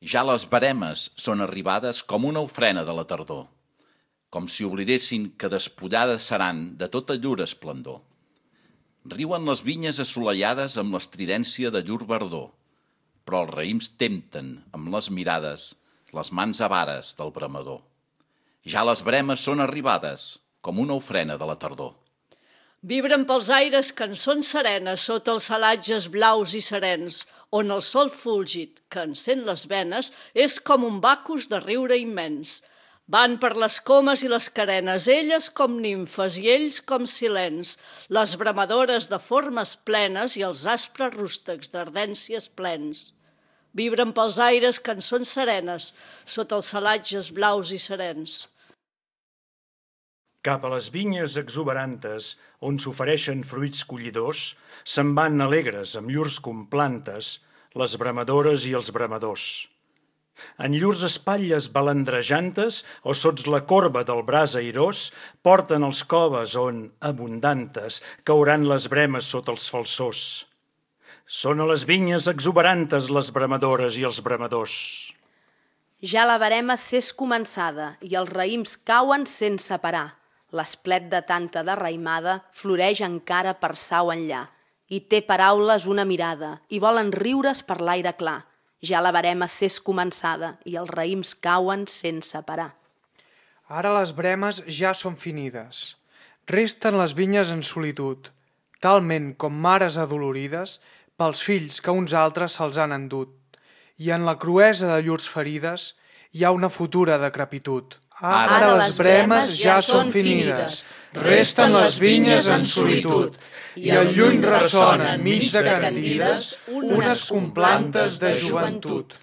Ja les veremes són arribades com una ofrena de la tardor, com si oblidessin que despullades seran de tota llur esplendor. Riuen les vinyes assolellades amb l'estridència de llur verdor, però els raïms tempten amb les mirades les mans avares del bramador. Ja les bremes són arribades com una ofrena de la tardor. Vibren pels aires cançons serenes sota els salatges blaus i serens, on el sol fúlgid, que encén les venes, és com un bacus de riure immens. Van per les comes i les carenes, elles com nimfes i ells com silents, les bramadores de formes plenes i els aspres rústecs d'ardències plens. Vibren pels aires cançons serenes sota els salatges blaus i serens. Cap a les vinyes exuberantes, on s'ofereixen fruits collidors, se'n van alegres amb llurs complantes, les bramadores i els bramadors. En llurs espatlles balandrejantes o sots la corba del braç airós, porten els coves on, abundantes, cauran les bremes sota els falsors. Són a les vinyes exuberantes les bramadores i els bramadors. Ja la verema s'és començada i els raïms cauen sense parar. L'esplet de tanta derraïmada floreix encara per sau enllà i té paraules una mirada i volen riure's per l'aire clar. Ja la verema s'és començada i els raïms cauen sense parar. Ara les bremes ja són finides. Resten les vinyes en solitud, talment com mares adolorides pels fills que uns altres se'ls han endut, i en la cruesa de llurs ferides hi ha una futura decrepitud. Ara les bremes ja són finides, resten les vinyes en solitud, i al lluny ressonen mig de cantides unes complantes de joventut.